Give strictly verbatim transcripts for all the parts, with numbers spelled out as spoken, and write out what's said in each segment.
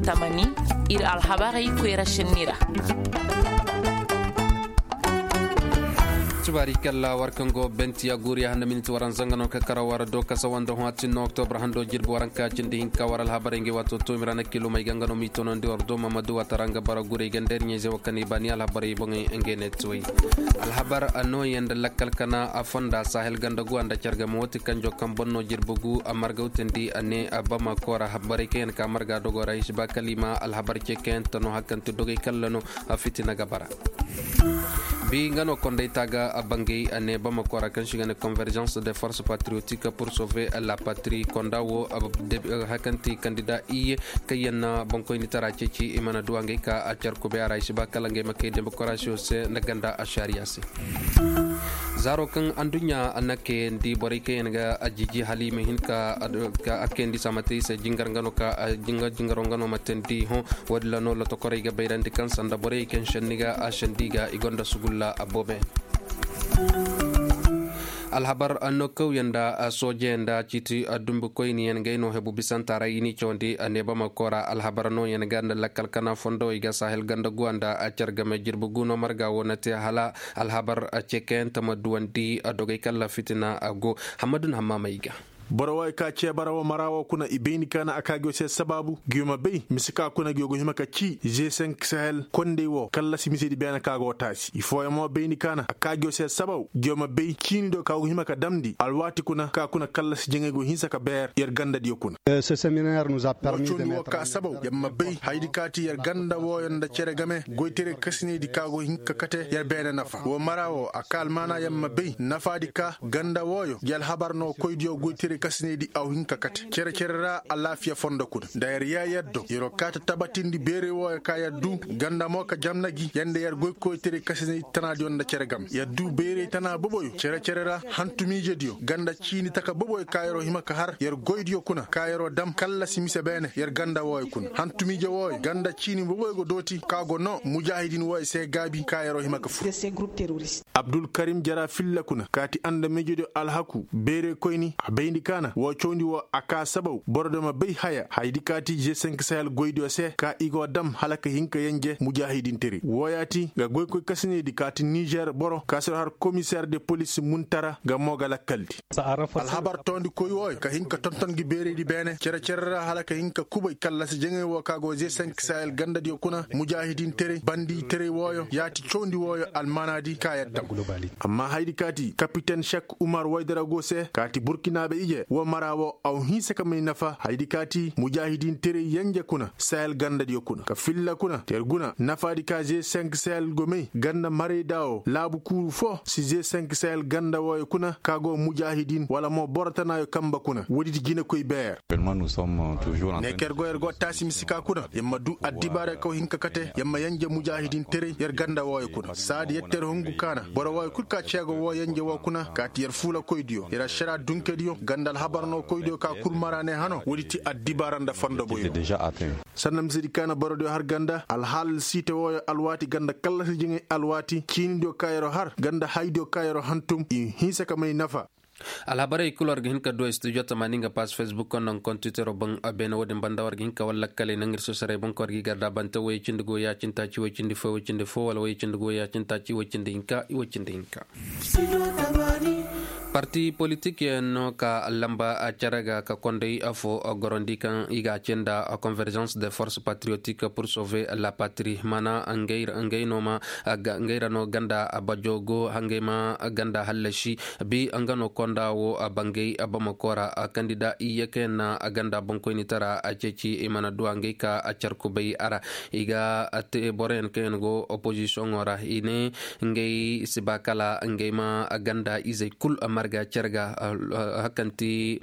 Tamani, ir alhabarey koyra šenni ra. Tubaari kalla war kaŋ go bentiya guuriya handa miniti waranza nga no ka kara war do kasa wanda hõ a tin no oktobra hando jirbi waranka cindi hinka war alhabarey ngey waato toomira na kilomey ga nga no m'i tonandi war do mamadu watara nga bara guurey ganda ir ɲayzey wo kaŋ i baani alhabarey boŋey ngey ne tuwey. Alhabar nooyaŋ nda lakkal kana a fonda sahel ganda guwa nda care game wo ti kanjo kaŋ boŋ no jirbi gu a marga wutandi a ne a bama koora borey kaŋ yaŋ ka marga dogo ra hisiba kalima alhabar ce kaŋ yaŋ ta no hakanti dogey kalla no. A fitina ga bara. Bi nga no konday taaga a bangay a ne bamako ra kaŋ si ga ne convergence de force patriotique pour sauver la patrie konda wo. Hakanti kandida iye kaŋ yaŋ na bankoyni tara ceeci i mana duwa ngay ka a care kubay a ra i si ba kala ngay ma kay demokarasiyo se nda ganda a sariya se. Zaaro kaŋ anduɲɲa na kayandi borey kaŋ yaŋ ga a jiji hala i ma hin ka a kayandi se a ma te i se jingar nga no ka jingar jingaro nga no ma teendi hõ. Wo- din ra no lotokorey ga bayrandi kaŋ sanda borey kaŋ senni ga a sendi ga i gonda sugulla a boobe. Alhabar no kawyaŋ nda soojeyaŋ nda ciiti dumbukoyniyaŋ ngey no hebu bisanta ra i n'i cawandi a neebama koora alhabar nooyaŋ ga nda lakkal kana fondowey ga sahel ganda guwa nda a care game jirbi gu no marga wo na te hala alhabar cekayaŋ ta ma duwandi dogey kalla fitina a go. Hammadu na hammaamey ga. Boro wooyo ka ceebara wo mara wo kuna i bayndi kaana a ka go se sabaabu, guyo ma bay mise ka kuna guyo go hima ka cii ze senk sahel kondey wo kallasi misedi beene ka go taasi i fooyaŋ mo bayndi kaana a ka go se sabaabu guyo ma bay ciini do ka go hima ka damndi alwaati kuna ka kuna kallasi jaŋay go hinsa ka beer yer gandadiyo kuna. Wo cawndi wo ka sabaabu yer ma bay hayadi ka ti yer ganda wooyo nda cere game goytaray kasinaydi ka go hin ka kate yer beene nafa wo mara wo a ka almaana yer ma bay nafaadi ka ganda wooyo gi alhabar no koydiyo goytaray kasinaydi aw hin ka kate cere-cere ra alaafiya fondo kuna nda yer yee yer do yer wo kaa ta tabatindi beeray wooyo ka yer du ganda mo ka jamna gi yer nda yer goy koytaray kasinaydi tanaadiyo nda cere game yer du beeray tana boboyo cere-cere ra hantumiijediyo ganda ciini taka boboyo ka yer wo hima ka har yer goydiyo kuna ka yer wo dam kallasi mise beene yer ganda wooyo kuna hantumiije wooyo ganda ciini boboyo go dooti ka go noo mujaahidin wooyo se gaabi ka yer wo hima ka fur. Abdulkarim jara filla kuna kaati andamiijediyo alhaku beerey koyni a bayndi kaana woo cawndi woo a kaa sabaw borodiyo ma bay haya hayadi kaati g cinq sahel goydiyo se ka i go dam hala ka hin ka yenje mujaahidinteray wooyaati nga goykoy kasinaydi kaati nizer boro ka se har komiseer de polis muntara nga moo ga lakkaldi. Alhabar toondikoy wooyo ka hin ka tonton gi beeraydi beene cere-cere ra hala ka hin ka kubay kallasi jaŋay woo ka go g cinq sahel gandadiyo kuna mujaahidinteray banditeray wooyo yaati cawndi wooyo almaanaadi ka yer dam. Amma hayadi kaati kapiten sek umar waydara go se kaati burkinaabe ije woo mara woo aw hinsa ka may nafa hayadi kaati mujaahidinteray yenje kuna sahel gandadiyo kuna ka filla kuna ter guna nafaadi ka g cinq sahel go may ganda marayda woo laabu kuuru foo si g cinq sahel ganda wooyo kuna ka go mujaahidin wala mo boro tanaayo kamba kuna woodi ti jinekoy beer. Ne ka yer go yer go taasi mise ka kuna yer ma du addibaara kaw hin ka kate yer ma yenje mujaahidinteray yer ganda wooyo kuna saadi yer ter hungu kaana boro wooyo kul ka ceego woo yenje woo kuna kaati yer fuulakoydiyo yer ašaraa dunkediyo ganda alhabar no koydiyo ka kul mara ne hano woodi ti addibaara nda fondo boyo. Sanda misedi kaana borodiyo har ganda alhaal siite wooyo alwaati ganda kallasi jiŋay alwaati ciinidiyo ka yer wo har ganda haydiyo ka yer wo hantum i hinsa ka may nafa. Alhabarey kul war ga hin ka du studio tamaani nga pass facebook nda nga kontitero boŋ. Beene wo-din banda war ga hin ka wala lakkaley naŋ ir sosorey boŋ ka war ga i garda bante woy cindi go ya cindi taaci woy cindi fo woy cindi fo wala woy cindi go ya cindi taaci woy cindi hinka i woy cindi hinka. Parti politik yaŋ no ka lamba cere ga ka konday fo gorondi kaŋ i ga a ce nda convergence de force patriotique pour sauver la patrie mana ngey no ma ngey ra no ganda bajo go hangey ma ganda hallasi. Bi nga no konda wo bangey bamako ra kandida iyye kaŋ yaŋ na ganda boŋkoynitara ceeci i mana duwa ngey ka car kubay a ra. I ga te boroyaŋ kaŋ yaŋ go opozisiyoŋo ra i ne ngey si ba kala ngey ma ganda izey kul marga cer ga. Hakanti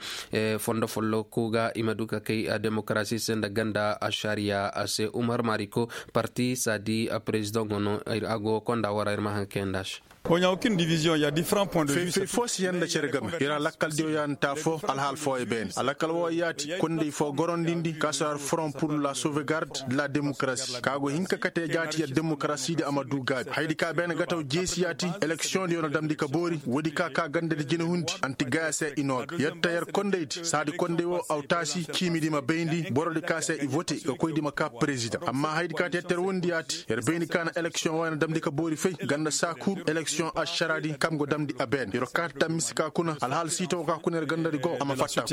fondo folloku ga i ma du ka kay demokarasi se nda ganda ašariya se umar mariko parti sadi prezidaŋo no. A go konda wara ir ma haŋ kayanda se. Fay fay foo si yaŋ nda cere game ira lakkal diyo yaŋ ta foo alhaal fooyo beene a lakkal woo yaati konday foo gorondindi kaasar front pur la sauvegarde de la demokarasi ka go hin ka kate jaati yer demokarasi di a ma du gaabi haydi ka beene gataw jeesi yaati eleksiyoŋ diyo na damndi ka boori woodi ka ka ganda di jina hundi anti gaya se i noo ga yer ta yer konday di saadi konday woo aw taasi ciimi di ma bayndi boro di ka se i vote ga koy di ma ka perezidaŋ amma haydi ka te yer ter wondi yaati yer bayndi ka na eleksiyoŋ woo yer na damndi ka boori fay ganda saa kul eleksiyoŋ ašara di kaŋ go damndi a beene yer kaata dam mise ka kuna alhaal siito ka kuna yer ganda di go a ma fatta.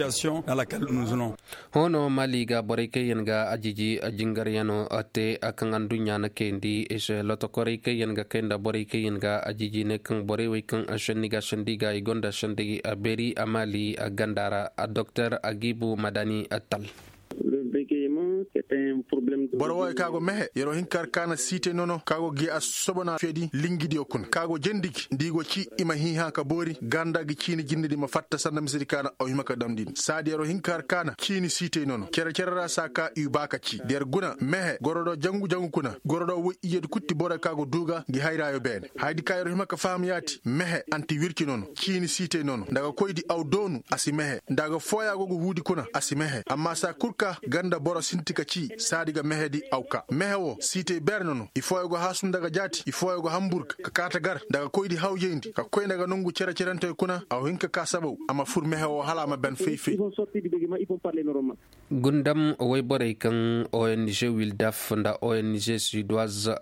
Hoono maali ga borey kaŋ yaŋ ga ajiiji jingaryaŋo te kaŋ adduɲɲa na kayandi i se lotokorey kaŋ yaŋ ga kay nda borey kaŋ yaŋ ga ajiiji ne kaŋ borey wey kaŋ sendi ga sendi ga i gonda sendi beeri a maali ganda ra doktor agibu madani tal. Boro wooyo ka go mehe yeroo hin ka har kaana siitey nono ka go gi a sosobona feedi lingidiyo kuna ka go jendi gi nda i go cii i ma hiihã ka boori ganda gi ciini jinde di ma fatta sanda misedi kaana aw hima ka damndi ni saadi yeroo hin ka har kaana ciini siitey nono cere-cere ra saa ka i baa ka cii da yer guna mehe goro do jangu-jangu kuna goro do woy iyyedi kul ti boro ka go duu ga ngi hayraayo beene hayadi ka yeroo hima ka faham yaati mehe anti wirci nono ciini siitey nono nda ga koydi aw doonu a si mehe nda ga fooyaa go ga huudi kuna a si mehe amma saa kul ka ganda boro sinti ka cii saadi ga mehedi aw kaa mehe woo siitey beer nono i fooyo go haasu nda ga jaati i fooyo go hamburg ka kaata gar nda ga koydi hawjayndi ka koy nda ga nongu cere-cerentey kuna aw hin ka kaa sabaw a ma fur mehe woo hala a ma ben fay-fay. Gundam woyborey kaŋ ong wildaf nda ong suédoise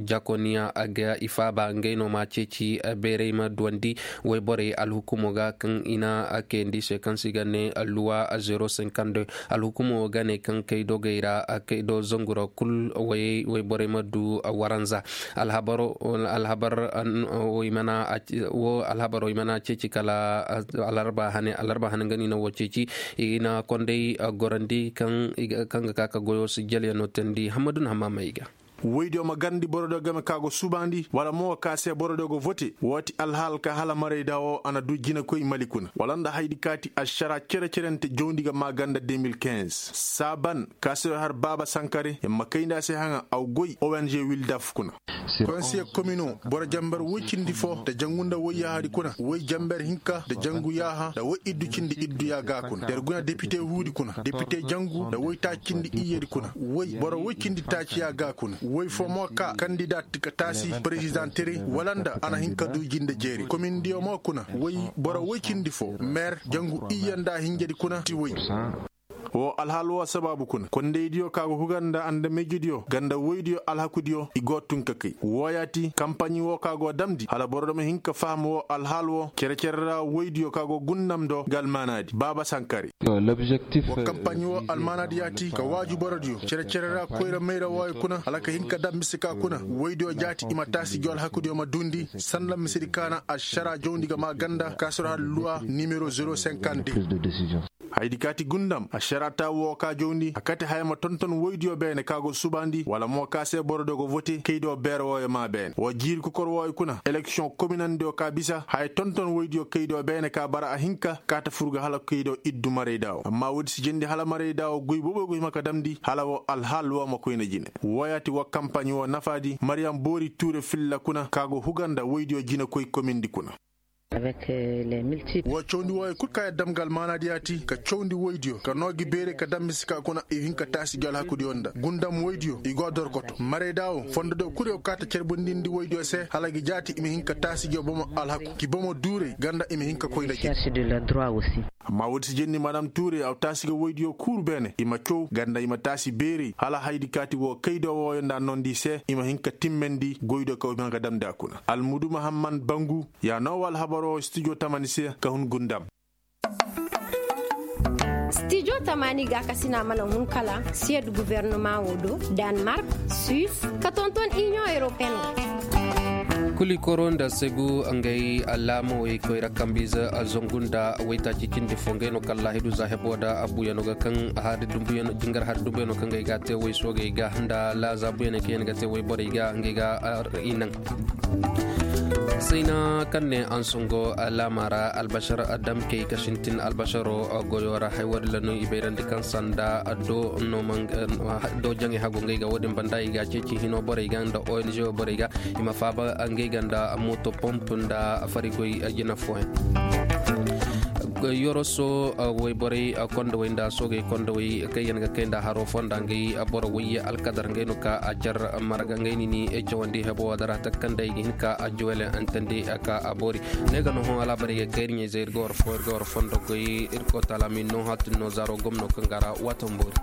jakoniya a ga i faaba ngey no ma ceeci beerey ma duwandi woyborey alhukumo ga kaŋ i na kayandi se kaŋ se i ga ne luwa zero cinquante deux alhukumo ga ne kaŋ kay dogey ra kay do zangu ra kul woyey woyborey ma du waranza alhabar alhabar wo i mana ceeci kala alarba hane alarba hane nga no i na wo ceeci i na konday gorandi kaŋ ga ka ka goyo si jalyano teendi hammadu na hamma may ga woydiyo ma garndi borodiyo game ka go subaandi wala mo ka se borodiyo go vote wo ti alhaal ka hala marayda wo a na du jinakoy mali kuna wala nda haydi ka ti ašara cere-cerente jawndi ga maaganda deux mille quinze saaban ka se yo har baaba sankare yer ma kayndi a se haŋa aw goy ong wildaf kuna konsiye komino boro jambar woy cindi fo nda jangu nda woy yaahadi kuna woy jambar hinka nda jangu yaaha nda woy iddu cindi iddu yaaga kuna yer guna depite huudi kuna depite jangu nda woy taaci cindi iyyedi kuna woy boro woy cindi taaci yaaga kuna woy fo mo ka kandidat ka taasi perezidaŋ tere wala nda a na hin ka du jinde jeeri komindiyo mo kuna woy boro woy cindi fo meer jangu iyye nda hinjedi kuna ti woy wo alhaal wo sabaabu kuna kondaydiyo ka go hugar nda andameyjidiyo ganda woydiyo alhakudiyo i go tun ka kay wooyaati kampaɲi wo ka go damndi hala boro dama hin ka faham wo alhaal wo cere-cere ra woydiyo ka go gundam do ga almaanaadi baaba sankari wo kampaɲi wo almaanaadi yaati ka waaju borodiyo cere-cere ra koyra mayra wooyo kuna hala ka hin ka dam mise ka kuna woydiyo jaati i ma taasi jo alhakudiyo ma duundi sanda misedi kaana ašara jawndi ga maa ganda kaasoro hala luwa nimero zero cinquante deux haydi kaati gundam ašara ta woo ka jawndi a kate haya ma tonton woydiyo beene ka go subaandi wala mo ka se borodiyo go vote kaydiyo beere wooyo maa beene woo jiiri kokor wooyo kuna eleksiyoŋ kominandiyo ka bisa haya tonton woydiyo kaydiyo beene ka bara a hinka ka ta fur ga hala kaydiyo iddu marayda woo amma woodi si jendi hala marayda woo goy booboy go hima ka damndi hala woo alhaal woo ma koyna jine wooyaati woo kampaɲi woo nafaadi mariyam boori tuure filla kuna ka go hugar nda woydiyo jinekoy komindi kuna woo cawndi wooyo kul ka yer dam ga almaanaadi yaati ka cawndi woydiyo ka noo gi beerey ka dam mise ka kuna i hin ka taasi gi alhakudiyo nda gundam woydiyo i go a dorkoto marayda woo fondodiyo kul yo kaata cerbundindi woydiyo se hala gi jaati i ma hin ka taasi gi bomo alhaku gi bomo duurey ganda i ma hin ka koy nda gi amma woodi si jenni madam tuurey aw taasi ga woydiyo kuuru beene i ma caw ganda i ma taasi beerey hala haydi kaati woo kaydiyo wooyo nda nondi se i ma hin ka timmendi goydiyo ka wo i ma hin ka damndi a kuna almudu mahamman bangu ya noo wa alhabaroo studio tamani se ka hun gundam studio tamani ga ka sina mana hun kala siyed guvernoma wo do, danmark, suis ka tonton inion europeen wo. Kuli koro nda segu ngay alamo way koyra kambiza a zongu nda waytaaci cindi fo ngay no kala hidu za hebo da abuyano ga kaŋ hari dumbuyan jingar hari dumbuyan no kaŋ ngay ga te way soogay ga nda laaza buyan kaŋ yan ga te way borey ga ngay ga inaŋ. Sayna kaŋ ne ansungo laama ra albasar damkey ka sintin albasaro goyo ra hay wo- din la no i bayrandi kaŋ sanda do no man do jaŋey hagu ngey ga wo- din banda i ga ceeci hino borey ga nda ong borey ga i ma faaba ngey ga nda mooto pomp nda farigoy jina fooyaŋ. Yoroso wayborey kondowey nda soogey kondowey kaŋ yaŋ ga kay nda haro fonda ngey boro wayye alkadar ngey no ka a car marga ngey nini cawandi hebo wadara takka nda i ga hin ka a juwele antandi ka a boori. Ne ga no hõ alaabarey ga kayri ɲey zay ir ga war fo ir ga war fondo goy ir ga war talaami no hatin no zaaro gomno kaŋ ga ra waatan boori.